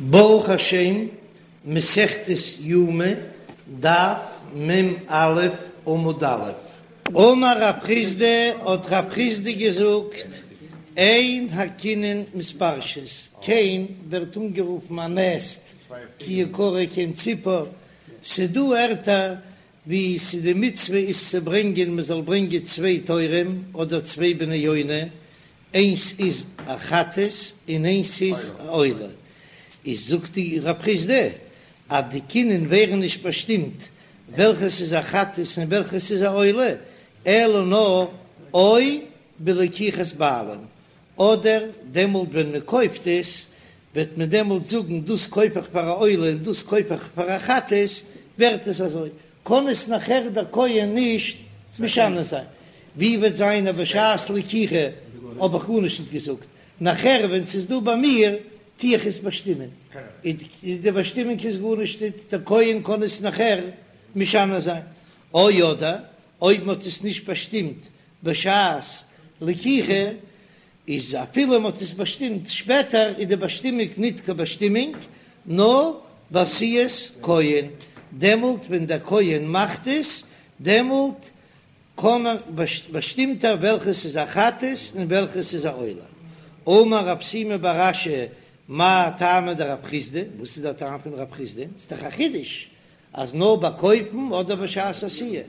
ברוך השם, מסכת יומא, דף מ"א, עמוד א'. אמר רב חסדא, האט רב חסדא געזאגט, אין הקינין מתפרשות, קן ווערט אנגערופן א נעסט, כי יקרא קן ציפור, ס'דא ערטער ווי ס'איז די מצוה איז צו ברענגען מ'זאל ברענגען צוויי תורים אדער צוויי בני יונה, איינס איז א חטאת און איינס איז א עולה, איז זאגט די רב חסדא אז די קינין ווערן נישט באשטימט וועלכעס איז א חטאת און וועלכעס איז א עולה, אלא נאר או בלקיחת בעלים, אדער דעמאלט ווען מען קויפט עס וועט מען דעמאלט זאגן דאס קויף איך פאר א עולה און דאס קויף איך פאר א חטאת, ווערט עס אזוי, קען עס נאכער דער כהן נישט משנה זיין. ווי וועט זיין אז בשעת לקיחה האב איך גארנישט נישט געזאגט, נאכער ווען ס'איז דא ביי מיר טו איך עס באשטימען, איז די באשטימונג איז גארנישט ניט, דער כהן קען עס נאכער משנה זיין. או אדער אויב מ'האט עס נישט באשטימט בשעת לקיחה, איז אפילו מ'האט עס באשטימט שפעטער איז די באשטימונג ניט קיין באשטימונג, נאר בעשיית כהן, דעמאלט ווען דער כהן מאכט עס, דעמאלט קען ער באשטימט ער וועלכעס איז א חטאת און וועלכעס איז א עולה. אמר רב שימי בר אשי מאי טעמא דרב חסדא, וואס איז דער טעם פון רב חסדא? ס'איז דאך א חידוש אז נאר ביי קויפן אדער בשעת עשיה,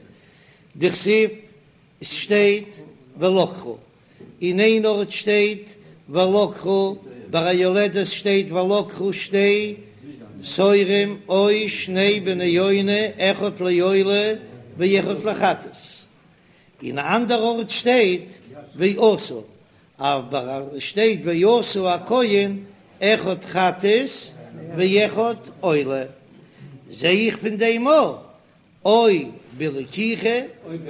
דכתיב עס שטייט ולקחו, אין איין ארט שטייט ולקחו, ביי א יולדת שטייט ולקחו שתי תורים או שני בני יונה אחד לעולה ואחד לחטאת, אין א אנדער ארט שטייט ועשו, אבער שטייט ועשו הכהן אחד חטאת ואחד עולה, זע איך פון דעם א או בלקיחה,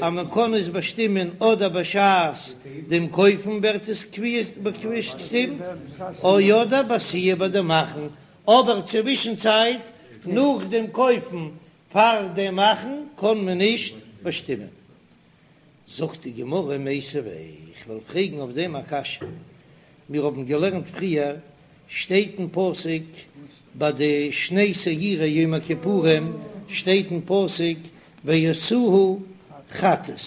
אז מען קען עס באשטימען אדער בשעת דעם קויפן ווערט עס באשטימט, או אדער בעשיה ביי דעם מאכן, אבער צווישן צייט נאך דעם קויפן פאר דעם מאכן קען מען נישט באשטימען. זאגט די גמרא מיתיבי, איך וועל פרעגן אויף דעם א קשיא, מיר האבן געלערנט פריער, שטייט אין פסוק ביי די שני שעירי יום הכיפורים שטייט אין פסוק ועשאוה חטאת,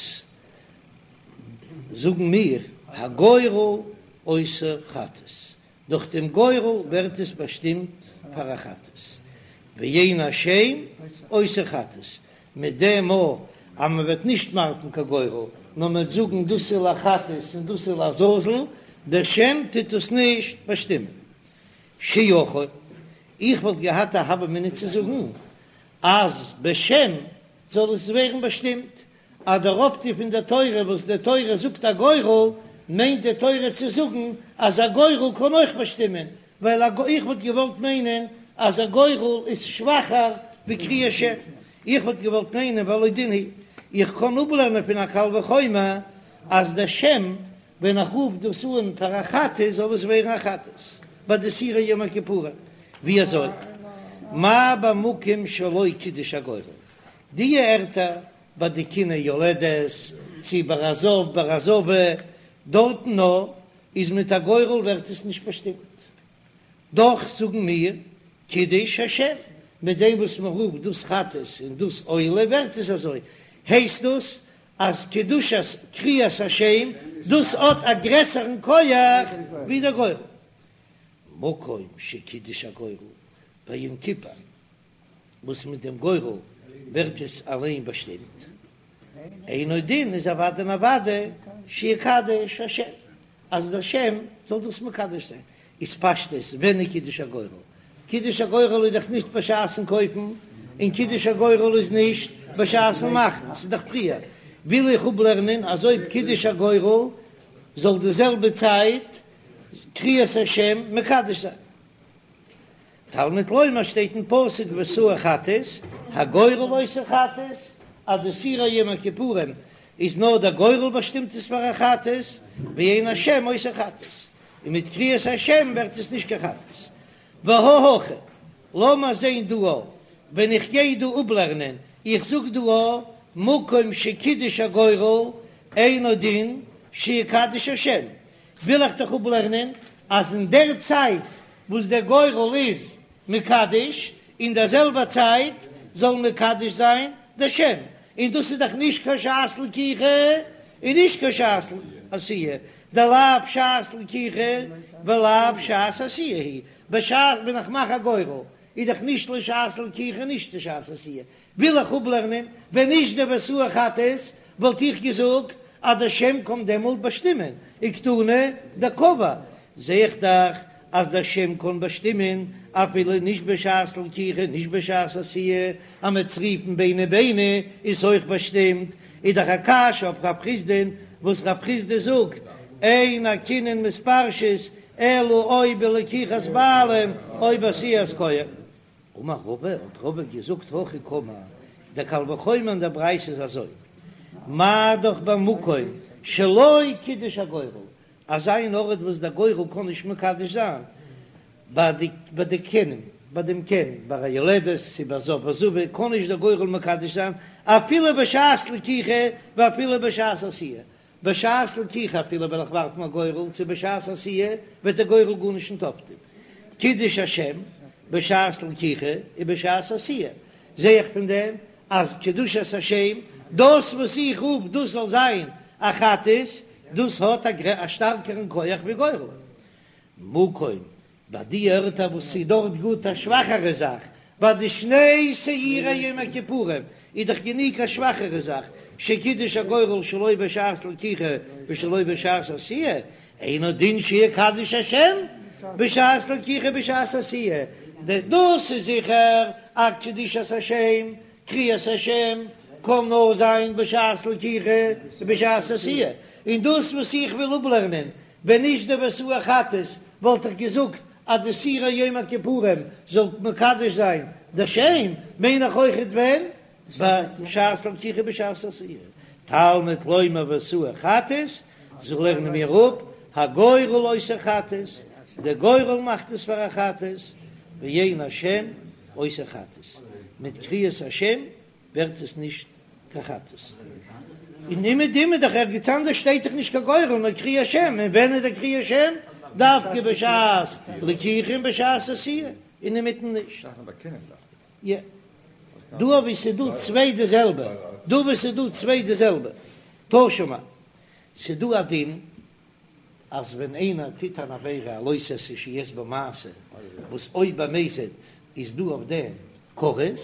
זאגן מיר הגורל עושה חטאת, דורך דעם גורל ווערט עס באשטימט פאר א חטאת, ואין השם עושה חטאת, מיט דעם מאל אז מען וועט נישט ווארפן קיין גורל, נאר מען וועט זאגן דאס איז לחטאת און דאס איז לעזאזל, דער שם טוט עס נישט באשטימען. שיכול, איך וואלט געהאט א הוה אמינא צו זאגן אז בשם זאל עס ווערן באשטימט, אז דער אויפטו פון דער תורה וואס די תורה זאגט א גורל, מיינט די תורה צו זאגן אז א גורל קען אויך באשטימען, ווייל א איך וואלט געוואלט מיינען אז א גורל איז שוואכער ווי קריאת שם, איך וואלט געוואלט מיינען והלא דין הוא, איך קען אפלערנען פון א קל וחומר אז דער שם ווען איך רוף דאס אן פאר א חטאת זאל עס ווערן א חטאת ביי די שעירי יום הכיפורים, ווי אזוי? מה במקום שלא קידש הגורל, די ערטער ביי די קיני יולדת, צי ביי א זב ביי א זבה, דארטן נאר איז מיט א גורל ווערט עס נישט באשטימט. דאך זאגן מיר קידש השם, מיט דעם וואס מען רופט דאס חטאת און דאס עולה ווערט עס אזוי, הייסט דאס אז קדושת קריאת השם דאס האט א גרעסערן כח ווי דער גורל. מקום שקידש הגורל ביום כיפור וואס מיט דעם גורל ווערט עס אליין באשטימט, אינו דין איז אוודאי און אוודאי שיקדש השם, אז דער שם זאל דאס מקדש זיין, איז פשטות ווען איז קידוש הגורל? קידוש הגורל איז דאך נישט בשעת'ן קויפן, און קידוש הגורל איז נישט בשעת'ן מאכן, ס'איז דאך פריער, וויל איך אפלערנען אז אויב קידוש הגורל זאל די זעלבע צייט קריאת השם מקדש זיין. תלמוד לומר שטייט אין פסוק ועשאוה חטאת, הגורל עושה חטאת, אז די שעירי יום הכיפורים איז נאר דער גורל באשטימט עס פאר א חטאת, ואין השם עושה חטאת, און מיט קריאת השם ווערט עס נישט קיין חטאת. והא הכא, לאמיר זען דא א, ווען איך גיי דא אפלערנען, איך זאג דא א, מקום שקידש הגורל אינו דין שיקדש השם, וויל איך דאך אפלערנען אז אין דער צייט וואס דער גורל איז. מקדש, אין דער זעלבער צייט זאל מקדש זיין דער שם, און דאס איז דאך נישט קיין שעת לקיחה און נישט קיין שעת עשיה, דלאו שעת לקיחה ולאו שעת עשיה היא, בשעת ווען איך מאך א גורל איז דאך נישט לשעת לקיחה און נישט לשעת עשיה, וויל איך אפלערנען, ווען נישט די ועשאוה חטאת וואלט איך געזאגט אז דער שם קען דעמאלט באשטימען, וקתני דקבע, זע איך דאך אז דער שם קען באשטימען אפילו נישט בשעת לקיחה נישט בשעת עשיה, אז מ'עט עס רופן ביני ביני איז אויך באשטימט, איז דאך א קשיא אויף רב חסדא'ן וואס רב חסדא זאגט אין הקינין מתפרשות אלא או בלקיחת בעלים או בעשיית כהן. אמר רבא, האט רבא געזאגט הכי קאמר, דער קל וחומר אין דער ברייתא איז אזוי, מה דאך במקום שלא קידש הגורל, אזא אן ארט וואס דער גורל קען נישט מקדש זיין, ביי די ביי די קנים, ביי דעם קן, ביי א יולדת צו ביי זב וזבה קען נישט דער גורל מקדש זיין, אפילו בשעת לקיחה ואפילו בשעת עשיה, בשעת לקיחה אפילו וועל איך ווארפן א גורל צו בשעת עשיה וועט דער גורל גארנישט נישט אויפטון. קידש השם בשעת לקיחה ובשעת עשיה, זע איך פון דעם אז קדושת השם, דאס וואס איך רוף דאס זאל זיין א חטאת, דאס האט א שטארקערן כח ווי גורל. מקום ביי די ערטער וואס ס'איז דארט גוט א שוואכערע זאך, ביי די שני שעירי יום הכיפורים איז דאך גענוג א שוואכערע זאך, שקידש הגורל שלא בשעת לקיחה ושלא בשעת עשיה, אינו דין שיקדש השם בשעת לקיחה בשעת עשיה, דאס איז זיכער אז קדושת השם, קריאת השם, קען נאר זיין בשעת לקיחה ובשעת עשיה, און דאס וואס איך וויל אפלערנען ווען נישט די ועשאוה חטאת וואלט איך געזאגט אז די שעירי יום הכיפורים זאל מקדש זיין די שם, מיין איך אויכעט ווען בשעת לקיחה בשעת עשיה, תלמוד לומר ועשאוה חטאת, זאל לערנען מיר אפ הגורל עושה חטאת, די גורל מאכט עס פאר א חטאת, ואין השם עושה חטאת, מיט קריאת השם ווערט עס נישט קיין חטאת. און אומעדום איז דאך ערגעץ אנדערש שטייט דאך נישט קיין גורל נאר קריאת שם, און ווען איז דער קריאת שם? דווקא בשעת לקיחה און בשעת עשיה, און אינמיטן נישט. יא. דא וואו ס'איז דא צוויי די זעלבע, דא וואו ס'איז דא צוויי די זעלבע. תא שמע, ס'איז דא א דין אז ווען איינער טוט אן עבירה א לא תעשה שיש בו מעשה, וואס אויב במזיד איז דא אויף דעם כרת,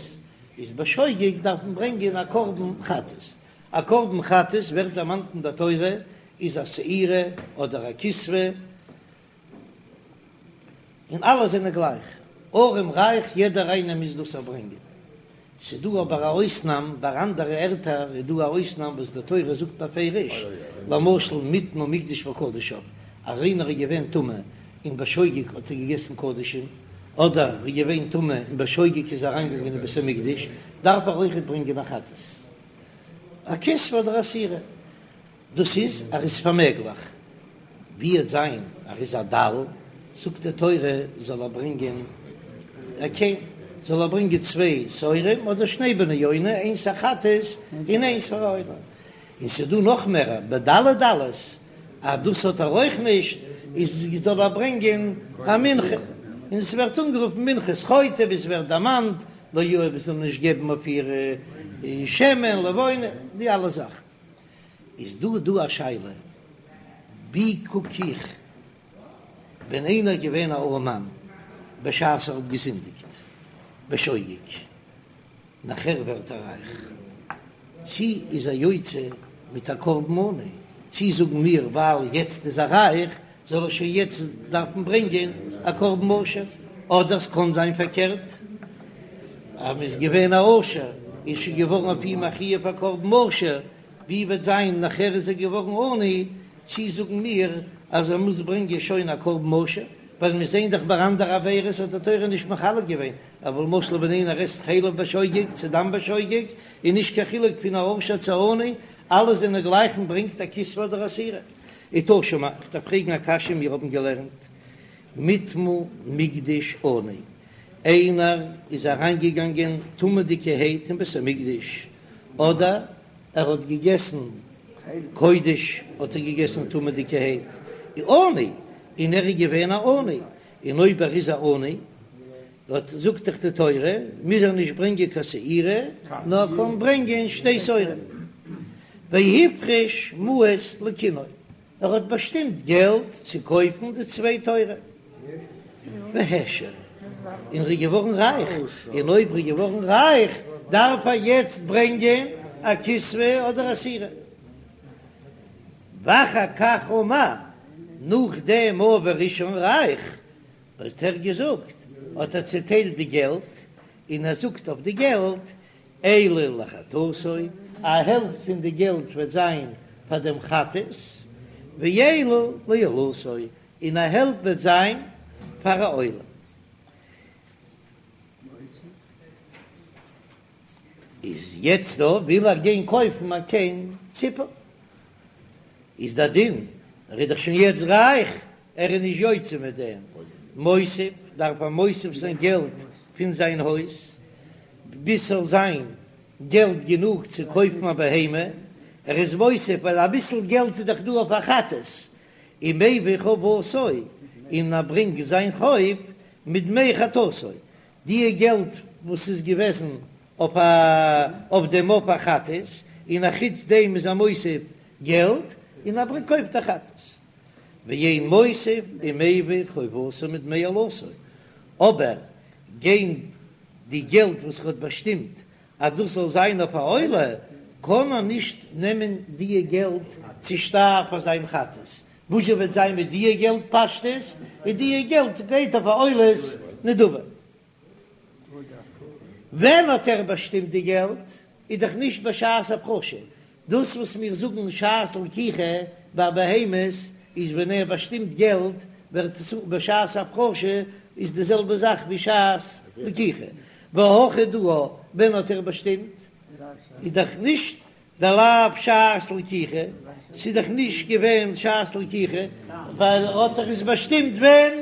איז בשוגג דארף מען ברענגען א קרבן חטאת. א קרבן חטאת ווערט דערמאנט אין דער תורה איז א שעירה אדער א כשבה, און אלע זענען גלייך, ארעם רייך יעדער איינער מוז דאס אברענגען. ס'איז דא אבער א אויסנאם, ביי אנדערע ערטער איז דא א אויסנאם וואס די תורה זאגט בפירוש, למשל מטמא מקדש וקדשיו, אז איינער איז געווען טמא און בשוגג האט ער געגעסן קדשים, אדער איז געווען טמא און בשוגג איז אריינגעגאנגען אין בית המקדש, דארף ער אויכעט ברענגען א חטאת, א כשבה אדער א שעירה. דאס איז ער איז פארמעגליך, ווי וועט זיין ער איז א דל, זאגט די תורה זאל ער ברענגען א קען, זאל ער ברענגען צוויי שעירים אדער שני בני יונה, איינס א חטאת און איינס פאר א עולה, און ס'איז דא נאך מער בדלי דלות אז דאס האט ער אויך נישט, איז זאל ער ברענגען א מנחה, און עס ווערט אנגערופן מנחת חוטא ווי עס ווערט דערמאנט, לא יהב מ'זאל נישט געבן אויף איר שמן לבונה, די אלע זאכן. איז דא דא א שאלה, ווי קוק איך ווען איינער געווען א ארעמאן בשעת ער האט געזינדיגט בשוגג, נאכער ווערט ער רייך, צי איז ער יוצא מיט א קרבן עני, צי זאגן מיר ווייל יעצט איז ער רייך זאל ער שוין יעצט דארפן ברענגען א קרבן עושר, אדער ס'קען זיין פארקערט, אז מ'איז געווען א עושר איז שוין געווארן אויף אים א חיוב א קרבן עושר, ווי וועט זיין נאכער איז ער געווארן עני, צי זאגן מיר אז ער מוז ברענגען שוין א קרבן עושר, ווייל מיר זעען דאך ביי אנדערע עבירות האט די תורה נישט מחלק געווען, אבער למשל ווען איינער עסט חלב בשוגג צו דם בשוגג איז נישט קיין חילוק פון א עושר צו א עני, אלע זענען גלייך מען ברענגט א כשבה אדער א שעירה. ותא שמע, איך דארף פרעגן א קשיא, מיר האבן געלערנט מטמא מקדש עני, איינער איז אריינגעגאנגען טמא'דיגערהייט אין בית המקדש, אדער ער האט געגעסן קודש האט ער געגעסן טמא'דיגערהייט, עני, און ער איז געווען א עני, און אויב ער איז א עני. האט זאגט דאך די תורה מוז ער נישט ברענגען קיין שעירה נאר קען ברענגען שתי שעורים, והפריש מעות לקינו, ער האט באשטימט געלט צו קויפן די צוויי תורים, והעשיר, און ער איז געווארן רייך, און אויב ער איז געווארן רייך דארף ער יעצט ברענגען א כשבה אדער א שעירה. ואחר כך אמר, נאכדעם ווי ער איז שוין רייך, האט ער געזאגט, האט ער צעטיילט די געלט, און ער זאגט אויף די געלט, אלו לחטאתו, א העלפט פון די געלט וועט זיין פאר דעם חטאת, ואלו לעולתו, און א העלפט וועט זיין פאר א עולה. איז יעצט דא וויל ער גיין קויפן א קן ציפור, איז דער דין, ער איז דאך שוין יעצט רייך, ער איז נישט יוצא מיט דעם, מוסיף, דארף ער מוסיף זיין געלט פון זיין הויז, ביז ס'זאל זיין געלט גענוג צו קויפן א בהמה, ער איז מוסיף ווייל אביסל געלט איז דאך דא אויף א חטאת, ומביא חובתו, און ער ברענגט זיין חוב מדמי חטאתו, די געלט וואס איז געוועזן אויף א אויף דעם אויף א חטאת, און א חוץ דעם איז ער מוסיף געלט און ער ברענגט קויפט א חטאת. ואין מוסיף ומביא חובתו מדמי עולתו, אבער גיין די געלט וואס ער האט באשטימט אז דאס זאל זיין אויף א עולה, קען ער נישט נעמען דיע געלט צושטייער פאר זיין חטאת, וואס וועט זיין מיט דיע געלט פשטות, און דיע געלט גייט אויף א עולת נדבה. ווען האט ער באשטימט די געלט? איז דאך נישט בשעת הפרשה, דאס וואס מיר זאגן שעת לקיחה ביי בהמות איז ווען ער באשטימט געלט ווערט עס בשעת הפרשה איז די זעלבע זאך ווי שעת לקיחה, והכא דא ווען האט ער באשטימט? איז דאך נישט דלאו שעת לקיחה, ס'איז דאך נישט געווען שעת לקיחה, ווייל ער האט דאך עס באשטימט ווען?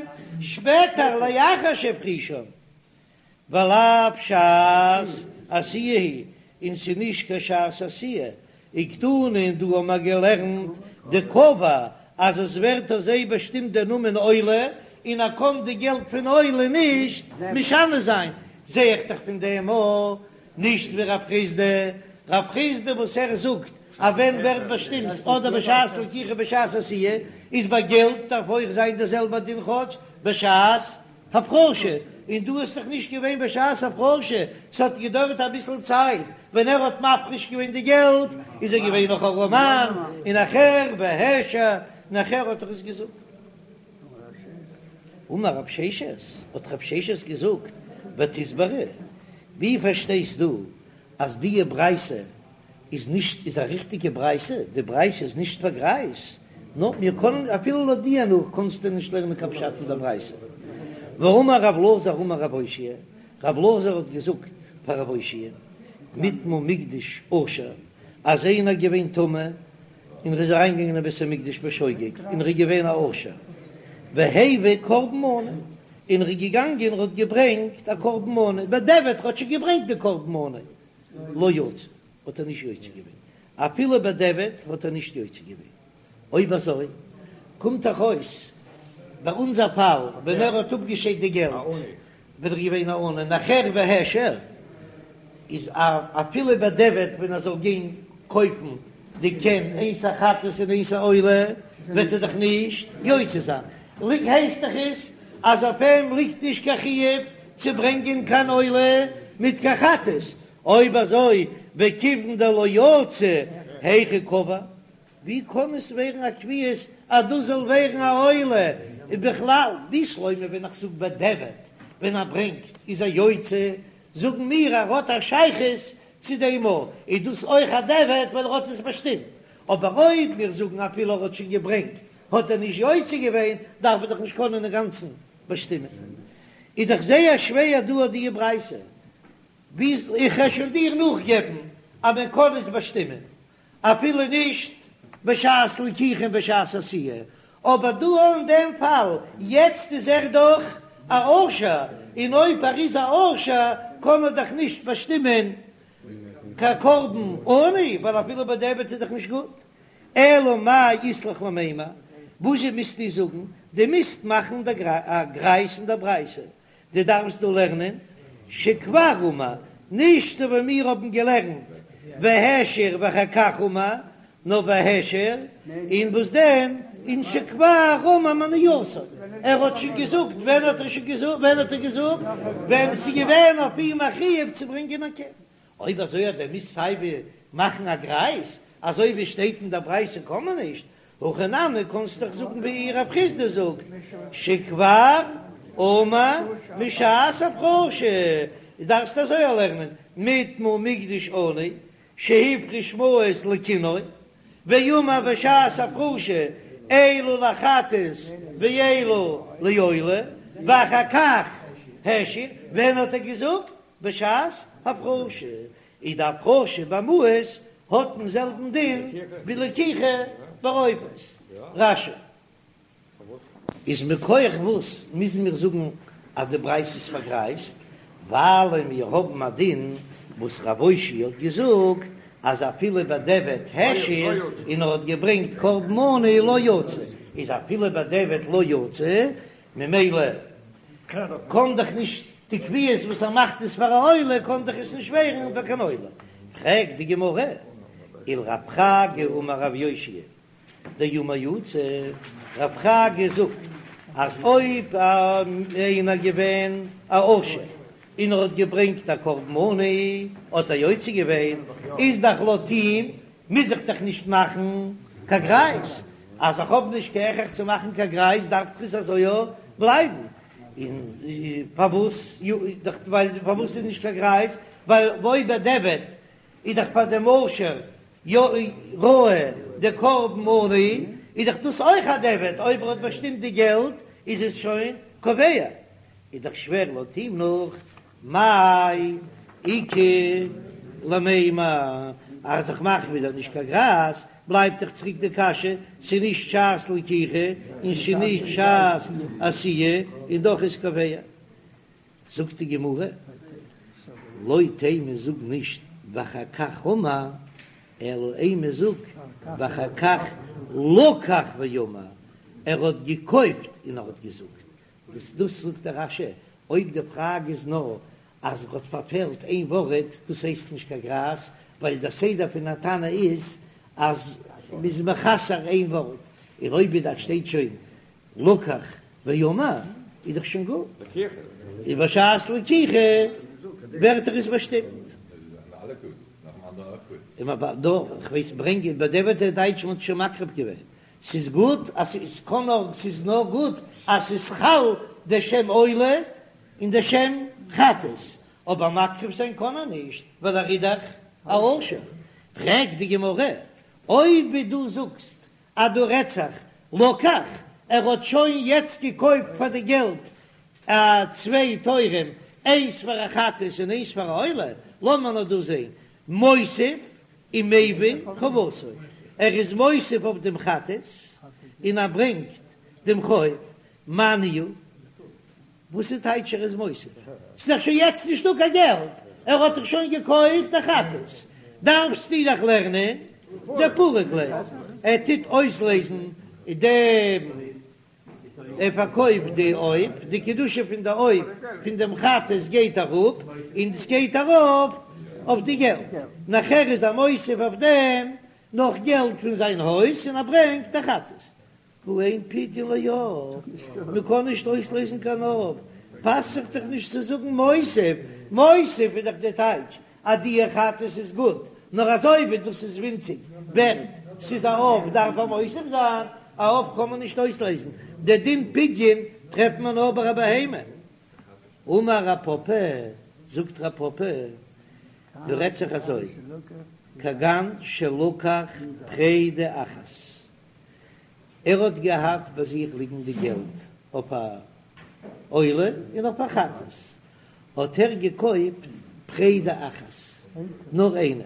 שפעטער לאחר שהפרישן, ולאו שעת עשיה היא, און ס'איז נישט קיין שעת עשיה, וקתני און דא האבן מיר געלערנט דקבע אז עס ווערט אזוי באשטימט דער נאמען עולה, און ער קען די געלט פון עולה נישט משנה זיין, זע איך דאך פון דעם א נישט ווי רב חסדא, רב חסדא וואס ער זאגט אז ווען ווערט באשטימט אדער בשעת לקיחה בשעת עשיה, איז ביי געלט דארף אויך זיין דער זעלבער דין כאטש בשעת הפרשה, און דא איז דאך נישט געווען בשעת הפרשה, ס'האט געדויערט אביסל צייט, ווען ער האט מפריש געווען די געלט איז ער געווען נאך ארעמאן, און נאכער והעשיר, נאכער האט ער עס געזאגט. אמר רב ששת, האט רב ששת געזאגט, ותסברא, ווי פארשטייסט דו אז דיע ברייתא איז נישט איז א ריכטיגע ברייתא, די ברייתא איז נישט פאר גרייז, נאר מיר קענען אפילו לויט דיע נאך קענסטו נישט לערנען קיין פשט אין דער ברייתא. והאמר רב אלעזר אמר רב אושעיא, רב אלעזר האט געזאגט פאר רב אושעיא, נטמא מקדש עשיר, אז איינער געווען טמא און ער איז אריינגעגאנגען אין בית המקדש בשוגג און ער איז געווען א עשיר, והביא קרבן מנה, און ער איז געגאנגען און האט געברענגט א קרבן מנה, בדיעבד ער האט שוין געברענגט די קרבן מנה, לא יצא, האט ער נישט יוצא געווען, אפילו בדיעבד האט ער נישט יוצא געווען, אויב אזוי קומט דאך אויס ביי אונזער פאל ווען ער האט אפגעשיידט די געלט ווען ער איז געווען א עני נאכער והעשיר איז אפילו בדיעבד ווען ער זאל גיין קויפן די קן איינס א חטאת און איינס א עולה וועט ער דאך נישט יוצא זיין, הייסט דאך עס אז אויף אים ליגט נישט קיין חיוב צו ברענגען קיין עולה מיט קיין חטאת, אויב אזוי וכיוון דלא יצא היכי קבע, ווי קען עס ווערן א קביעות אז דאס זאל ווערן א עולה, און בכלל בשלמא ווען איך זאג בדיעבד ווען ער ברענגט איז ער יוצא, זאגן מיר ער האט א שייכות צו דעם א, איז דאס אויך א דיעבד ווייל ער האט עס באשטימט, אבער אויב מיר זאגן אפילו ער האט שוין געברענגט האט ער נישט יוצא געווען דארף מען דאך נישט קענען אינגאנצן באשטימען, איז דאך זייער שווער דא אט די ברייתא, ווי איך וועל שוין דיר נאכגעבן אז מען קען עס באשטימען אפילו נישט בשעת לקיחה און בשעת עשיה, אבער דא אין דעם פאל יעצט איז ער דאך א עשיר, און אויב ער איז א עשיר קען ער דאך נישט באשטימען קיין קרבן עני, ווייל אפילו בדיעבד איז דאך נישט גוט. אלא מאי אית לך למימר, וואזשע מוזטו זאגן? דו מוזט מאכן א גרייז אין דער ברייתא. דו דארפסט דא לערנען שכבר אמר, נישט אזוי ווי מיר האבן געלערנט והעשיר ואחר כך אמר, נאר והעשיר, און וואס דען, און שכבר אמר מנייתו, ער האט שוין געזאגט, ווען האט ער שוין געזאגט, ווען האט ער געזאגט, ווען ס'איז געווען אויף אים א חיוב צו ברענגען א קן, אויב אזוי אז דו מוזט סייווי מאכן א גרייז, אזוי ווי שטייט אין דער ברייתא קען מען נישט, הכי נמי קענסט דאך זאגן ווי רב חסדא זאגט שכבר אמר משעת הפרשה, דארפסט אזוי לערנען נטמא מקדש עני שהפריש מעות לקינו, ואמר בשעת הפרשה אלו לחטאת ואלו לעולה, ואחר כך העשיר, ווען האט ער געזאגט? בשעת הפרשה, איז די הפרשה במעות האט דעם זעלבן דין ווי לקיחה בעופות. רש"י. איז מכח וואס מוזן מיר זאגן אז די ברייתא איז פארגרייזט? ווייל מיר האבן א דין וואס רב אושעיא האט געזאגט אז אפילו בדיעבד העשיר און ער האט געברענגט קרבן מנה לא יצא, איז אפילו בדיעבד לא יצא ממילא קען דאך נישט די קביעות וואס ער מאכט עס פאר א עולה קען דאך עס נישט ווערן פאר קיין עולה. פרעגט די גמרא, ולרב חגא אמר רב יאשיה דאמר יצא, רב חגא זאגט אז אויב איינער געווען א עשיר און ער האט געברענגט א קרבן מנה האט ער יוצא געווען, איז דאך לויט אים מוז איך דאך נישט מאכן קיין גרייז, אז איך האב נישט קיין הכרח צו מאכן קיין גרייז דארף דאך עס אזוי בלייבן, און פארוואס פארוואס איז נישט קיין גרייז, ווייל אויב בדיעבד איז דאך פאר דעם עושר יא ראוי די קרבן מנה, איז דאך דאס אויך א דיעבד, אויב ער האט באשטימט די געלט איז עס שוין קובע, איז דאך שווער לויט אים נאך מאי איכא למימר, אז איך מאך ווידער נישט קיין גרייז, בלייבט דאך צוריק די קשיא, ס'איז נישט שעת לקיחה און ס'איז נישט שעת עשיה, און דאך איז קובע. זאגט די גמרא, לא תימא זאג נישט ואחר כך אמר, אלא אימא זאג ואחר כך לקח ואמר, ער האט געקויפט און ער האט געזאגט, דאס דאס זאגט דער רש"י, אויב די פראגע איז נאר אז ער האט פארפעלט איין ווארט, דאס הייסט נישט קיין גרייז, ווייל דער סדר פון א תנא איז אז מ'איז מחסר איין ווארט, און אויב דארט שטייט שוין לקח ואמר איז דאך שוין גוט, און בשעת לקיחה ווערט דאך עס באשטימט. כ'ווייס ברענגען בדיעבד דער טייטש מ'האט שוין מקריב געווען ס'איז גוט אז ס'איז קאן נאר ס'איז נאר גוט אז ס'איז חל די שם עולה און די שם חטאת, אבער מקריב זיין קאן ער נישט ווייל ער איז דאך א עושר. פרעגט די גמרא, אויב ווי דו זאגסט אז דא רעדט זיך לקח, ער האט שוין יעצט געקויפט פאר די געלט א צוויי תורים, איינס פאר א חטאת און איינס פאר א עולה, לאמיר נאר דא זען, מוסיף ומביא חובתו, ער איז מוסיף אויף דעם חטאת און ער ברענגט דעם חוב, מאי ניהו, וואס איז טייטש ער איז מוסיף? ס'איז דאך שוין יעצט נישטא קיין געלט, ער האט דאך שוין געקויפט א חטאת, דארפסטו דאך לערנען דפריק ליה, ער טוט אויסלעזן דעם ער פארקויפט די עוף, די קדושה פון די עוף פון דעם חטאת גייט אראפ, און עס גייט ארויף אויף די געלט, נאכער איז ער מוסיף אויף דעם נאך געלט פון זיין הויז און ער ברענגט א חטאת. והא אין פדיון לעוף, מען קען נישט אויסלעזן קיין עוף, פאסט זיך דאך נישט צו זאגן מוסיף, מוסיף איז דאך די טייטש אז די חטאת איז גוט, נאר אזוי ווי דאס איז ווינציג ווערט, ס'איז א עוף דארף ער מוסיף זיין, א עוף קען מען נישט אויסלעזן, די דין פדיון טרעפט מען נאר ביי א בהמה. אמר רב פפא, זאגט רב פפא, דא רעדט זיך אזוי, כגון שלקח פרידה אחת, ער האט געהאט ביי זיך ליגן די געלט אויף א עולה און אויף א חטאת, האט ער געקויפט פרידה אחת, נאר איינע,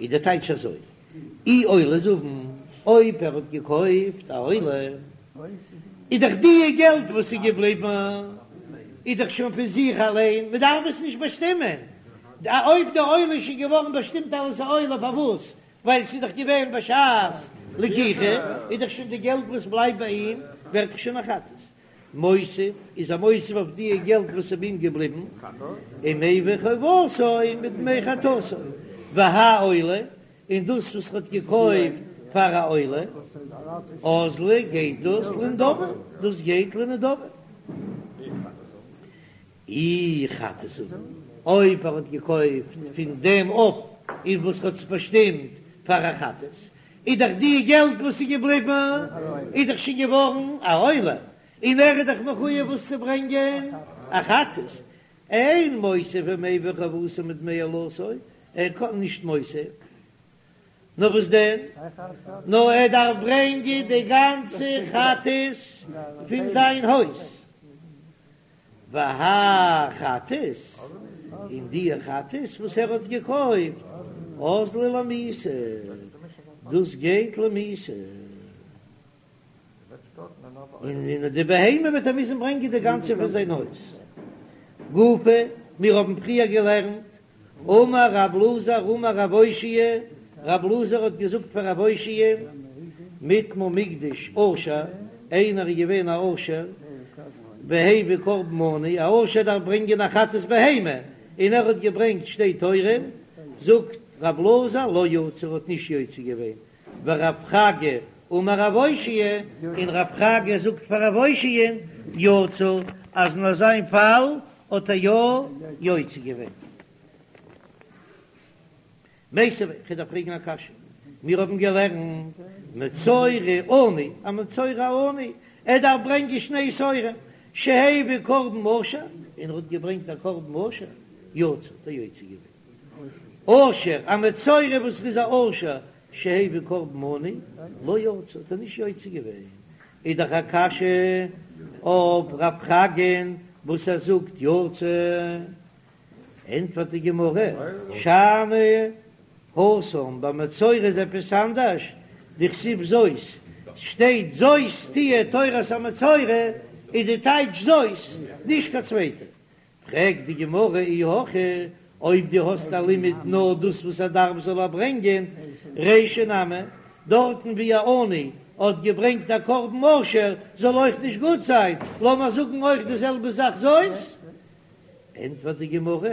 איז די טייטש אזוי, אי עולה זבין, אויב ער האט געקויפט א עולה, איז דאך די געלט וואס איז געבליבן איז דאך שוין פון זיך אליין, מען דארף עס נישט באשטימען, אויב די עולה איז שוין געווארן באשטימט אלס א עולה פארוואס ווייל ס'איז דאך געווען בשעת לקיחה, איז דאך שוין די געלט וואס בלייבט ביי אים ווערט דאך שוין א חטאת. מוסיף, איז ער מוסיף אויף די געלט וואס איז ביי אים געבליבן, ומביא חובתו מדמי חטאתו, והאי עולה, און דאס וואס ער האט געקויפט פאר א עולה, אזלא גייט דאס לנדבה, דאס גייט לנדבה. אי חטאת אביא, אויב ער האט געקויפט פון דעם עוף אין וואס ער האט עס באשטימט פאר א חטאת, איז דאך די געלט וואס איז געבליבן איז דאך שוין געווארן א עולה, און ער איז דאך מחויב וואס צו ברענגען א חטאת, אין מוסיף ומביא חובתו מדמי עולתו, ער קען נישט מוסיף, נאר וואס דען? נאר ער דארף ברענגען די גאנצע חטאת פון זיין הויז. והאי חטאת, און די חטאת וואס ער האט געקויפט, אזלא למיתה, דאס גייט למיתה, און די בהמה וועט ער מוזן ברענגען די גאנצע פון זיין הויז. גופא, מיר האבן פריער געלערנט, אמר רב אלעזר אמר רב אושעיא, רב אלעזר האט געזאגט פאר רב אושעיא, מטמא מקדש עשיר, איינער איז געווען א עשיר, והביא קרבן עני, א עשיר דארף ברענגען א חטאת בהמה, און ער האט געברענגט שתי תורים, זאגט רב אלעזר לא יצא, ער האט נישט יוצא געווען, ורב חגא אמר רב אושעיא, און רב חגא זאגט פאר רב אושעיא, יצא, אז אין אזיין פאל האט ער יא יוצא געווען. מיתיבי, כ'דארף פרעגן א קשיא, מיר האבן געלערנט מצורע עני, א מצורע עני, ער דארף ברענגען שני תורים, שהביא קרבן עשיר, און ער האט געברענגט א קרבן עשיר, יצא, האט ער יוצא געווען. עשיר, א מצורע וואס איז א עשיר, שהביא קרבן עני, לא יצא, האט ער נישט יוצא געווען, איז דאך א קשיא אויף רב חגא'ן וואס ער זאגט יצא, ענטפערט די גמרא, שאני התם, ביי מצורע איז עפעס אנדערש, דכתיב זאת, שטייט זאת תהיה תורת המצורע, איז די טייטש זאת, נישט קיין צווייטע. פרעגט די גמרא אי הכי, אויב דו האסט א לימוד נאר דאס וואס ער דארף זאל ער ברענגען, רישא נמי, דארטן ווי א עני האט געברענגט א קרבן עשיר זאל אויך נישט גוט זיין, לאמיר זאגן אויך די זעלבע זאך זאת? ענטפערט די גמרא,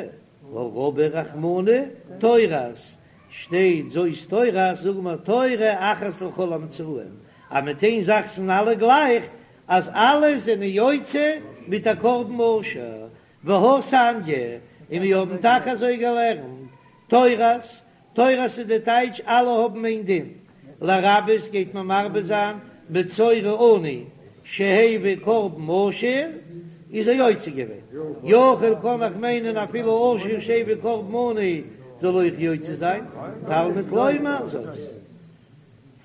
הא רבי רחמנא תורת, שטייט זאת תורת, זאגן מיר תורה אחת לכל המצורעים, אז מיט איין זאך זענען אלע גלייך, אז אלע זענען יוצא מיט א קרבן עשיר, והא תניא, און מיר האבן טאקע אזוי געלערנט, תורת, תורת איז די טייטש אלע האבן איין דין, לרבות גייט מען מרבה זיין מצורע עני שהביא קרבן עשיר איז ער יוצא געווען, יכול קען איך מיינען אפילו עשיר שהביא קרבן עני זאל אויך יוצא זיין, תלמוד לומר זאת.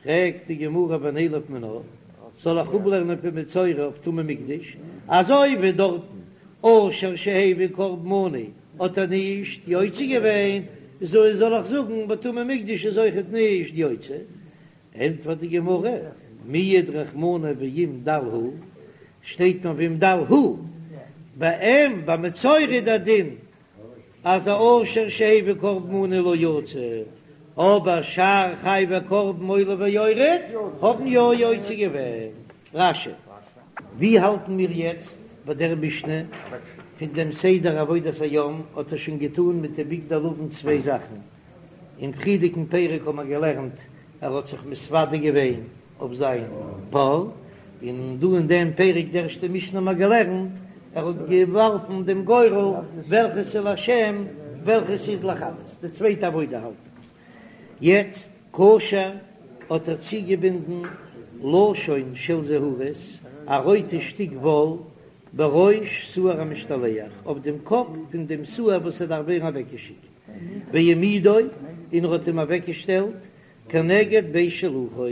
פרעגט די גמרא ונילף מינה, זאל איך אפלערנען פון מצורע אויף טמא מקדש, אזוי ווי דארטן עשיר שהביא קרבן עני האט ער נישט יוצא געווען, אזוי זאל איך זאגן ביי טמא מקדש איז אויכעט נישט יוצא? ענטפערט די גמרא, מיעט רחמנא ואם דל הוא, שטייט נאר ואם דל הוא, ביי אים ביי מצורע איז דער דין אז א עשיר שהביא קרבן עני לא יצא, אבער שאר חייבי קרבן עולה ויורד האבן יא יוצא געווען. רש"י. ווי האלטן מיר יעצט ביי דער משנה? פון דעם סדר עבודת היום האט ער שוין געטאן מיט די בגדי לבן צוויי זאכן, אין פריערדיגן פרק האבן מיר געלערנט ער האט זיך מתוודה געווען אויף זיין פר, און דא אין דעם פרק די ערשטע משנה האבן מיר געלערנט ער האט געווארפן דעם גורל וועלכעס איז לשם וועלכעס איז לחטאת, די צווייטע עבודה האלט יעצט קשר האט ער צוגעבינדן לשון של זהורית, א רויטע שטיק וואל, בראש שעיר המשתלח, אויף דעם קאפ פון דעם שעיר וואס ער דארף ווערן אוועקגעשיקט, והעמידו, און ער האט אים אוועקגעשטעלט כנגד בית שילוחו,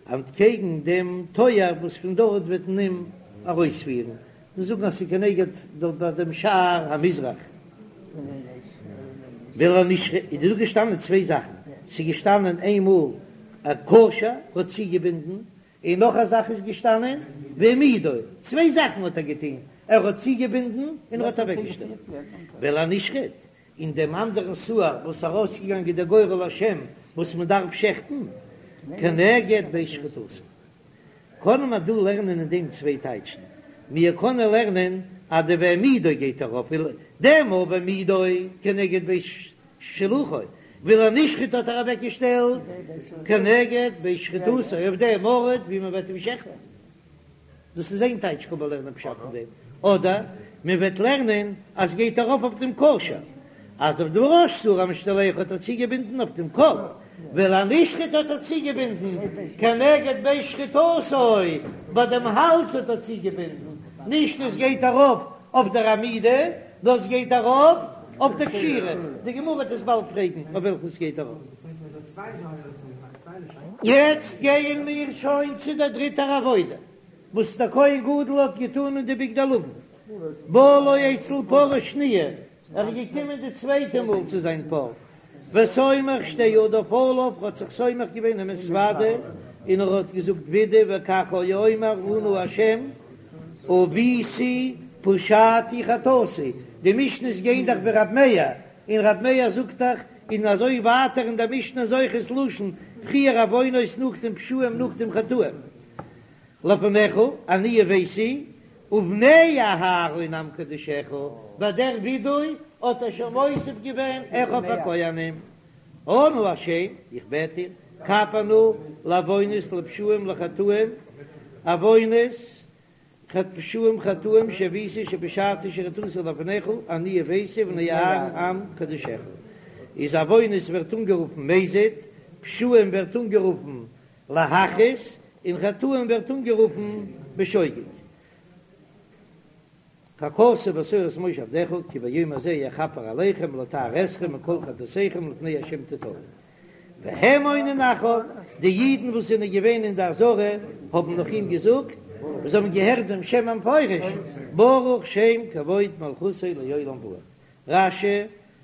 אנטקעגן דעם טויער וואס פון דארט וועט מען אים ארויספירן, מיר זאגן אז ס'איז כנגד דארט ביי דעם שער המזרח. ולנשחט, איז דא געשטאנען צוויי זאכן, ס'איז געשטאנען איינמאל א קשר האט צוגעבינדן, און נאך א זאך איז געשטאנען והעמידו, צוויי זאכן האט ער געטון, ער האט צוגעבינדן און ער האט אוועקגעשטעלט. ולנשחט, און דעם אנדערן שעיר וואס ארויסגעגאנגען דער גורל לשם וואס מען דארף שעכטן כנגד בית שחיטתו. קענען מיר דא לערנען אין דעם צוויי טייטשן. מיר קענען לערנען אז די והעמידו גייט ארויף וויל דעם והעמידו כנגד בית שילוחו, ולנשחט האט ער אוועק געשטעלט כנגד בית שחיטתו אויף דעם ארט ווי מען וועט אים שעכטן. דאס איז איין טייטש קען מען לערנען פשט אין דעם, אדער מען וועט לערנען אז גייט ארויף אויף דעם קשר, אז אויף דעם ראש שעיר המשתלח האט ער צוגעבינדן אויף דעם קאפ, ולנשחט האט ער צוגעבינדן כנגד בית שחיטתו, ביי דעם האלז האט ער צוגעבינדן, נישט עס גייט ארויף אויף דער עמידה, נאר עס גייט ארויף אויף דער קשירה, די גמרא וועט עס באלד פרעגן אויף וועלכן עס גייט ארויף. יעצט גייען מיר שוין צו דער דריטער עבודה וואס דער כהן גדול האט געטאן אין די בגדי לבן, בא לו אצל פרה שניה, ער איז געקומען די צווייטע מאל צו זיין פר, וסומך שתי ידיו עליו, ער האט זיך סומך געווען ומתודה, און ער האט געזאגט וידוי וכך היה אומר אנא השם עויתי פשעתי חטאתי, די משנה'ס גייען דאך ווי רב מאיר, און רב מאיר זאגט דאך, און אזוי ווייטער אין דער משנה איז אויך ס'לשון, פריער עוונות נאכדעם פשעים נאכדעם חטאים. לפניך, אני וביתי, ובני אהרן עם קדושיך, ביי דער ווידוי האט ער שוין מוסיף געווען אחיו הכהנים. אנא השם, איך בעט דיר, כפר נא לעוונות לפשעים לחטאים, עוונות, פשעים חטאים שעוויתי שפשעתי שחטאתי לפניך, אני וביתי ובני אהרן עם קדושיך. איז עוונות ווערט אנגערופן מזיד, פשעים ווערט אנגערופן להכעיס, און חטאים ווערט אנגערופן בשוגג. ככתוב בתורת משה עבדך כי ביום הזה יכפר עליכם לטהר אתכם מכל חטאתיכם לפני ה' תטהרו. והם עונין אחריו, די אידן וואס זענען געווען אין די עזרה האבן נאך אים געזאגט, וואס האבן געהערט דעם שם המפורש, ברוך שם כבוד מלכותו לעולם ועד. רש"י,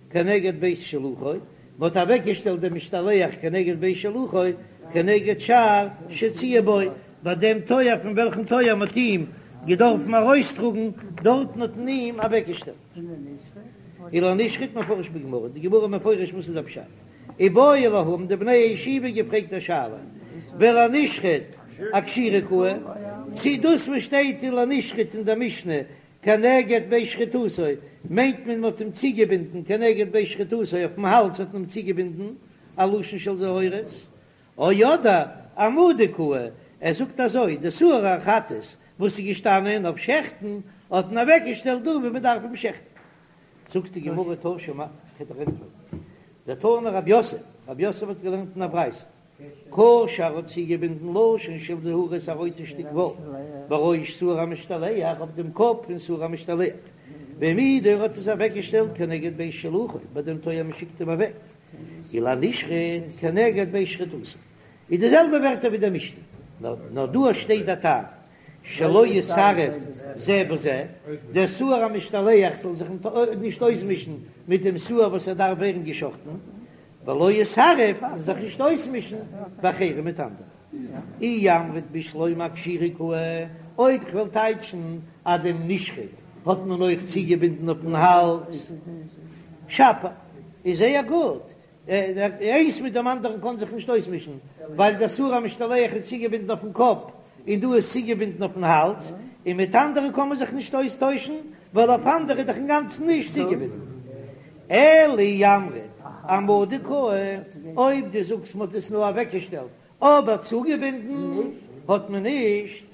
כנגד בית שילוחו, מען האט אוועקגעשטעלט דעם משתלח כנגד בית שילוחו, כנגד שער שהוציאו בו, ביי דעם טויער פון וועלכן טויער מען האט אים געדארפן ארויסטראגן, דארטן האט מען אים אוועקגעשטעלט. ולנשחט מפרש בגמרא, די גמרא מפרש וואס איז דער פשט. איבעיא להו האבן די בני הישיבה געפרעגט א שאלה, ולנשחט אקשירה קאי, צי דאס וואס שטייט ולנשחט אין דער משנה כנגד בית שחיטתו, מיינט מען מ'האט אים צוגעבינדן כנגד בית שחיטתו, אויפן האלז האט מען אים צוגעבינדן, א לשון של זהורית, או אדער אהעמדה קאי, ער זאגט אזוי, די שעיר החטאת וואס איז געשטאנען אויף שעכטן האט מען אוועקגעשטעלט דא ווי מען דארף אים שעכטן. זאגט די גמרא תא שמע, כ'וועל דיר ענטפערן, דתני רב יוסף, רב יוסף האט געלערנט אין א ברייתא, קשר האט צוגעבינדן לשון של זהורית א רויטע שטיק וואל בראש שעיר המשתלח אויף דעם קאפ פון שעיר המשתלח, והעמידו האט עס אוועקגעשטעלט כנגד בית שילוחו ביי דעם טויער מען שיקט אים אוועק, ולנשחט כנגד בית שחיטתו איז די זעלבע ווערטער ווי דער משנה, נאר דא שטייט א טעם שלא יתערב זה בזה, דער שעיר המשתלח זאל זיך נישט אויסמישן מיט דעם שעיר וואס ער דארף ווערן געשחטן, ולא יתערב און זיך נישט אויסמישן באחרים מיט אנדערע. אי אמרת בשלמא אקשירה קאי, אויב כ'וועל טייטשן אז דעם נשחט האט מען אויך צוגעבינדן אויפן האלז, שפיר, איז זייער גוט, איינס מיט דעם אנדערן קען זיך נישט אויסמישן, ווייל דער שעיר המשתלח איז צוגעבינדן אויפן קאפ און דא איז צוגעבינדן אויפן האלז, און מיט אנדערע קען מען זיך נישט אויסטוישן, ווייל אויף אנדערע איז דאך אינגאנצן נישט צוגעבינדן. אלא אי אמרת אהעמדה קאי, אויב דו זאגסט מ'האט עס נאר אוועקגעשטעלט אבער צוגעבינדן האט מען נישט,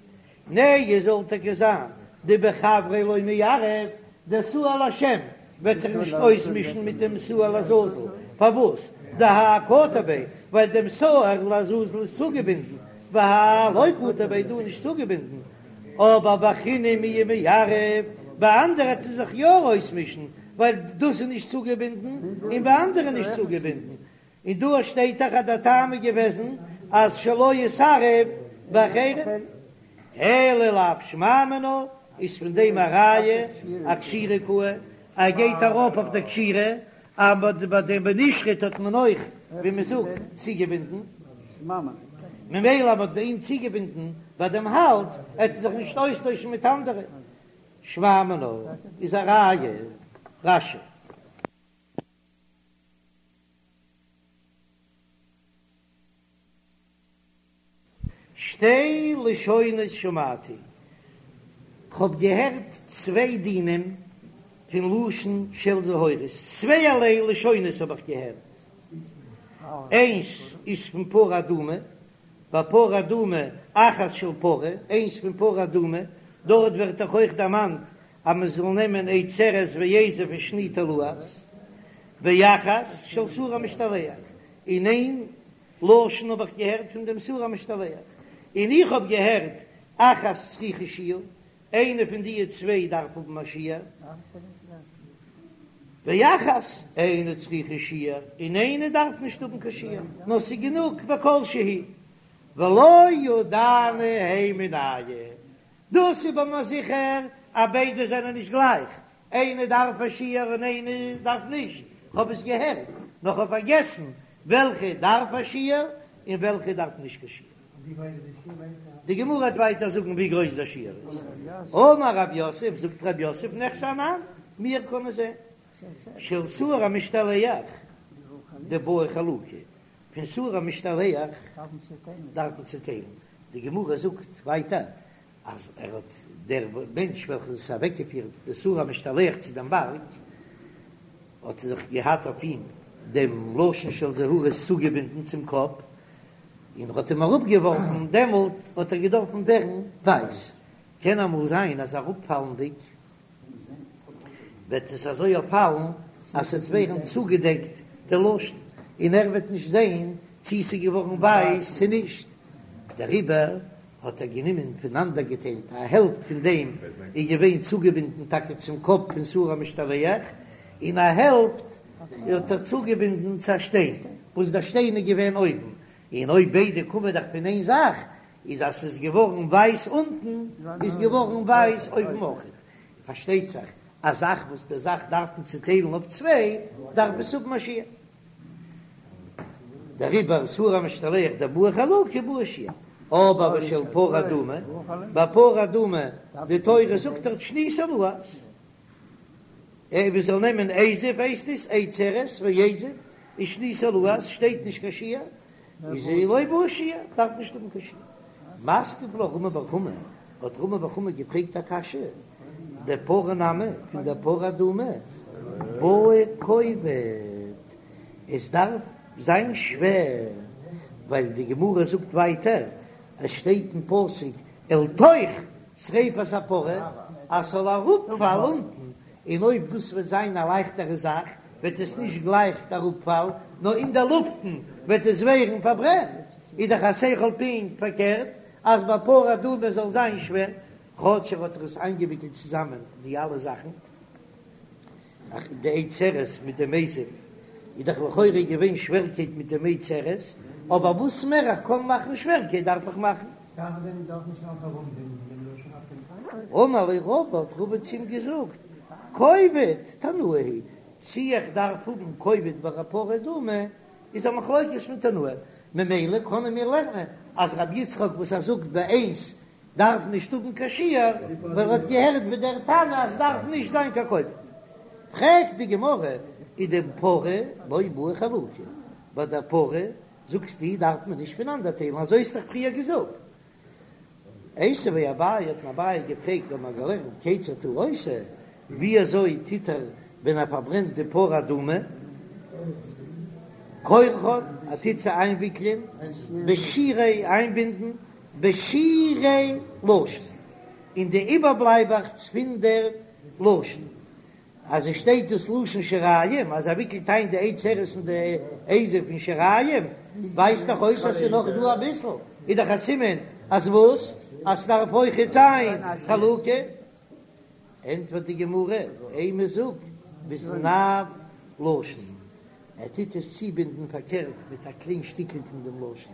נהי זאל טאקע זיין דבחבריה לא מיערב, דער שעיר לשם וועט זיך נישט אויסמישן מיט דעם שעיר לעזאזל, פארוואס? דהאי קטר ביה, ווייל דעם שעיר לעזאזל איז צוגעבינדן, והאי לא קטר ביה דא נישט צוגעבינדן, אבער באחריני מיהא מיערב, ביי אנדערע וועט ער זיך יא אויסמישן, ווייל דאס איז נישט צוגעבינדן, און ביי אנדערע נישט צוגעבינדן, און דא שטייט דאך אז דער טעם איז געוועזן אז שלא יתערב באחרים, אלא לאו שמע מינה, איז פון דעם א ראיה אקשירה קאי, ער גייט ארויף אויף דער קשירה, אבער ביי דעם בנשחט האט מען אויך ווי מען זאגט צוגעבינדן, ממילא מ'האט ביי אים צוגעבינדן ביי דעם האלז, ער וועט זיך נישט אויסטוישן מיט אנדערע, שמע מינה איז א ראיה, רש"י. שתי לשונות שמעתי. כ'האב געהערט צוויי דינים פון לשון של זהורית, צווייערליי לשונות האב איך געהערט, איינס איז פון פרה אדומה, ביי פרה אדומה אחת של פרה, איינס פון פרה אדומה, דארט ווערט דאך אויך דערמאנט אז מען זאל נעמען עץ ארז ואזוב ושני תולעת, ואחת של שעיר המשתלח, און איין לשון האב איך געהערט פון דעם שעיר המשתלח, און איך האב געהערט אחת צריכה שיעור, איינע פון די צוויי דארף האבן א שיעור, ואחת אינה צריכה שיעור, און איינע דארף נישט האבן קיין שיעור, נאר ס'איז גענוג בכל שהוא, ולא ידענא הי מינייהו, דאס איז ביי מיר זיכער אז ביידע זענען נישט גלייך, איינע דארף א שיעור און איינע דארף נישט, כ'האב עס געהערט, נאר כ'האב פארגעסן וועלכע דארף א שיעור און וועלכע דארף נישט קיין שיעור. די גמרא וועט ווייטער זאגן ווי גרויס דער שיעור איז. אמר רב יוסף, זאגט רב יוסף, נחזי אנן, מיר קענען זען, של שעיר המשתלח דבעי חלוקה, פון שעיר המשתלח דארף מען צעטיילן, די גמרא זאגט ווייטער אז ער האט דער מענטש וועלכער האט אוועקגעפירט די שעיר המשתלח צו דעם בארג, האט זיך געהאט אויף אים דעם לשון של זהורית צוגעבינדן צום קאפ, און האט אים אראפגעווארפן, דעמאלט האט ער געדארפן ווערן ווייס, קען אמאל זיין אז אראפפאלנדיג וועט עס אזוי פאלן אז ס'וועט ווערן צוגעדעקט די לשון, און ער וועט נישט זען צי ס'איז געווארן ווייס צי נישט, דעריבער האט ער גענומען פונאנדערגעטיילט, א העלפט פון דעם איז געווען צוגעבינדן טאקע צום קאפ פון שעיר המשתלח, און א העלפט האט ער צוגעבינדן צו א שטיין, וואס דער שטיין איז געווען אויבן, און אויב ביידע קומען דאך פון איין זאך, איז אז ס'איז געווארן ווייס אונטן, איז געווארן ווייס אויבן אויכעט. פארשטייט זיך, א זאך וואס די זאך דארף מען צוטיילן אויף צוויי, דארף עס האבן א שיעור. דעריבער שעיר המשתלח דבעי חלוקה בעי שיעור. אבער ושל פרה אדומה, ביי פרה אדומה, די תורה זאגט דארט שני תולעת. ער זאל נעמען אזוב הייסט עס עץ ארז ואזוב ושני תולעת שטייט נישט קיין שיעור איז לא בעי שיעור דארף נישט האבן קיין שיעור. מתקיף לה רמי בר חמא האט רמי בר חמא געפרעגט א קשיא דפרה נמי פון דער פרה אדומה בעי כובד עס דארף זיין שווער ווייל די גמרא זאגט ווייטער עס שטייט אין פסוק אל תוך שריפת הפרה אז ס'זאל אראפפאלן אונטן, און אויב דאס וועט זיין א לייכטערע זאך וועט עס נישט גלייך אראפפאלן, נאר אין דער לופטן וועט עס ווערן פארברענט, איז דאך א שכל פונקט פארקערט אז ביי פרה אדומה זאל זיין שווער, כאטש ער האט עס איינגעוויקלט צוזאמען די אלע זאכן. אך די עץ ארז מיט דעם אזוב איז דאך לכאורה געווען שווערקייט מיט דעם עץ ארז, אבער וואס מער איך קען מאכן שווערקייט דארף איך מאכן. אמר ליה רבא האט רבא צו אים געזאגט, כובד תנאי היא, צי איך דארף האבן כובד ביי א פרה אדומה איז א מחלוקת פון תנאים, ממילא קענען מיר לערנען אז רבי יצחק וואס ער זאגט ביי איינס דארף נישט האבן קיין שיעור, ווייל ער האט געהערט ווי דער תנא אז ס'דארף נישט זיין קיין כובד. פרעגט די גמרא, ודפרה לא בעי חלוקה, ביי דער פרה זאגסטו דארף מען נישט פונאנדערטיילן, אזוי האסט דאך פריער געזאגט. איתיביה אביי האט אים אביי געפרעגט האבן מיר געלערנט כיצד הוא עושה, ווי אזוי טוט ער ווען ער פארברענט די פרה אדומה, כורכן, ער טוט זיי איינוויקלען, בשירי איינבינדן, בשירי לשון, אין די איבערבלייבעכץ פון דער לשון, אז עס שטייט דאס לשון שיריים, אז ער וויקלט איין די עץ ארז און די אזוב אין שיריים, ווייזט דאך אויס אז ס'איז נאך דא אביסל, איז דאך א סימן אז וואס? אז ס'דארף אויכעט זיין חלוקה. ענטפערט די גמרא, אימא זאג בזנב לשון, ער טוט עס צובינדן פארקערט מיט א קליין שטיקל פון דעם לשון.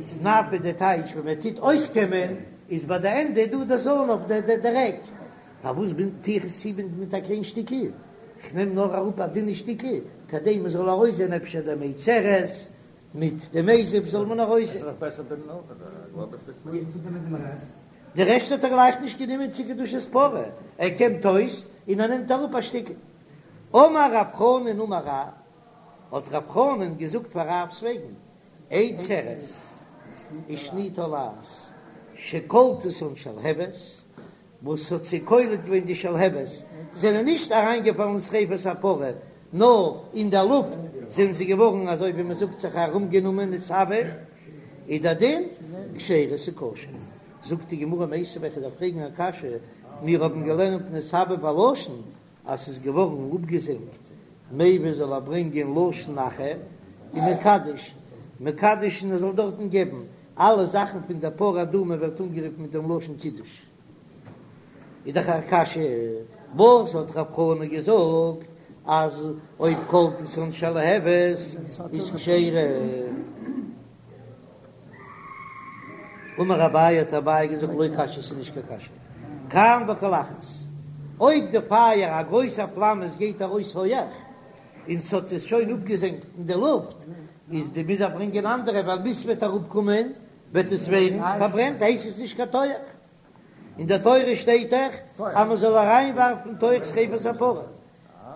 זנב איז די טייטש ווען מען טוט אויסקעמען איז ביי די ענדע דא די זנב די דער עק, פארוואס בינד טו איך עס צובינדן מיט א קליין שטיקל? כ'נעם נאר אראפ א דינע שטיקל כדי מען זאל ארויסזען אפשר דעם עץ ארז מיט דעם אזוב זאל מען ארויסזען. די רעשט האט ער גלייך נישט גענומען צו קדושת פרה, ער קעמט אויס און ער נעמט אראפ א שטיקל. אמר רב חנן אמר רב, האט רב חנן געזאגט פאר רב'ס וועגן, עץ ארז ושני תולעת שכלתה שלהבת. וואס האט זיי קולט געווען די שלהבת, זענען נישט אריינגעפאלן אין שריפת הפרה, נאר אין דער לופט זענען זיי געווארן אזוי ווי מען זאגט זיך ארומגענומען נתהוו, איז דער דין כשרה ס'איז כשר. זאגט די גמרא מיתיבי איך דארף פרעגן א קשיא, מיר האבן געלערנט נתעבה בלשון אז ס'איז געווארן אפגעזענגט מביא זאל ער ברענגען לשון אחר ומקדש מקדש און ער זאל דארטן געבן אלע זאכן פון דער פרה אדומה ווערט אנגערופן מיט דעם לשון קידוש. איז דאך א קשיא, וואס האט רב חנא געזאגט אז אויב קלטתן שלהבת איז כשרה? אמר אביי האט אביי געזאגט לא קשיא ס'איז נישט קיין קשיא, כאן בקולחת, אויב די פייער א גרויסע פלאם עס גייט ארויס הויעך און ס'האט עס שוין אפגעזענגט אין די לופט, איז די מוז ער ברענגען אנדערע ווייל ביז ס'וועט אראפקומען וועט עס ווערן פארברענט הייסט עס נישט קיין תוך. אין דער תורה שטייט דאך אז מען זאל אריינווארפן תוך שריפת הפרה.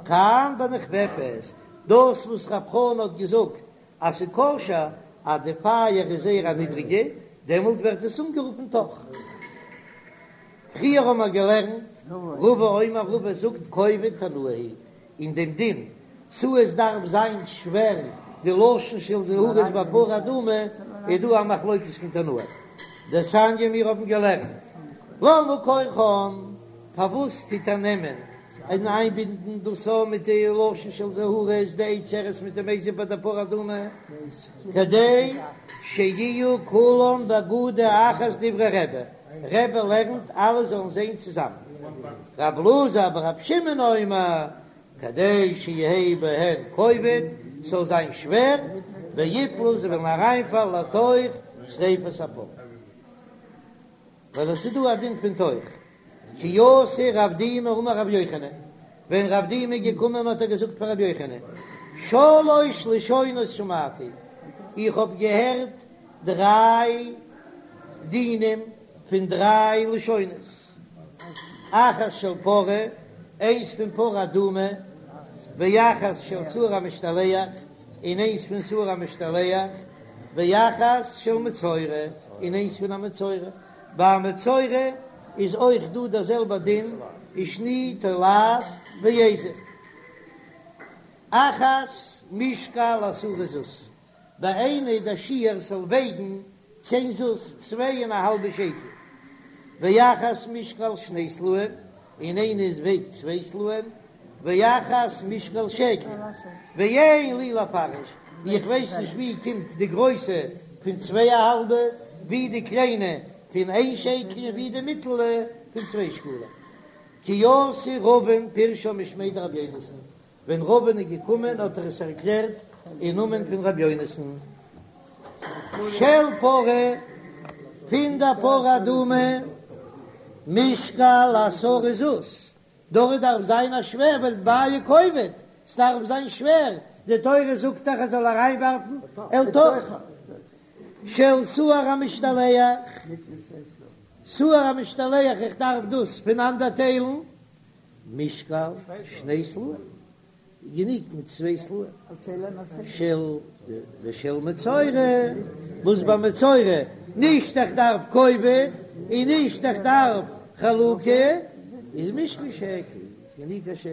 כאן בנכפפת, דאס וואס רב חנא האט געזאגט אז ס'איז כשר אז די פייער איז זייער א נידריגע, דעמאלט ווערט עס אנגערופן תוך. פריער האבן מיר געלערנט, רבא אומר רבא זאגט כובד תנאי היא אין דעם דין צו עס דארף זיין שווער די לשון של זהורית ביי פרה אדומה איז דא א מחלוקת פון תנאים דתניא מיר האבן געלערנט למה כורכן פארוואס טוט ער נעמען און איינבינדן דאס א מיט די לשון של זהורית די עץ ארז מיט דעם אזוב ביי די פרה אדומה כדי שיהיו כולם באגודה אחת דברי רבי רבי לערנט אלע זאלן זען צוזאמען רב אלעזר ברב שמעון אומר כדי שיהא בהן כובד, ס'זאל זיין שווער, ויפלו זיי וועלן אריינפאלן לתוך שריפת הפרה. ווייל עס איז דא א דין פון תוך. כי אתא רב דימי אמר רבי יוחנן, ווען רב דימי איז געקומען האט ער געזאגט פאר רבי יוחנן, שלוש לשונות שמעתי, איך האב געהערט דריי דינים פון דריי לשונות. אחת של פרה, איינס פון פרה אדומה, ואחת של שעיר המשתלח, און איינס פון שעיר המשתלח, ואחת של מצורע, און איינס פון א מצורע. ביי א מצורע איז אויך דא דער זעלבער דין, ושני תולעת ואזוב. אחת משקל עשרה זוז, ביי איינע איז דער שיעור ס'זאל וועגן צען זוז, צוויי און א האלבע שקל, ואחת משקל שני סלעים, און איינע איז וועגט צוויי סלעים, ואחת משקל שקל, ואין לי לפרש, איך ווייס נישט ווי קומט די גרויסע פון צוויי א האלבע, ווי די קליינע פון איין שקל און ווי די מיטעלע פון צוויי שקלים. כי אתא רבין פירשה משמיה דרבי יונתן, ווען רבין איז געקומען האט ער עס ערקלערט אין נאמען פון רבי יונתן. של פרה, פון דער פרה אדומה, משקל עשרה זוז, דארט דארף זיין א שווער ווייל בעי כובד, ס'דארף זיין שווער, די תורה זאגט דאך ער זאל אריינווארפן אל תוך. של שעיר המשתלח, שעיר המשתלח איך דארף דאס פונאנדערטיילן, משקל שני סלעים, גענוג מיט צוויי סלעים, של ושל מצורע, וואס ביי מצורע נישט איך דארף כובד און נישט איך דארף חלוקה, איז משקל שקל, איז גענוג א שקל.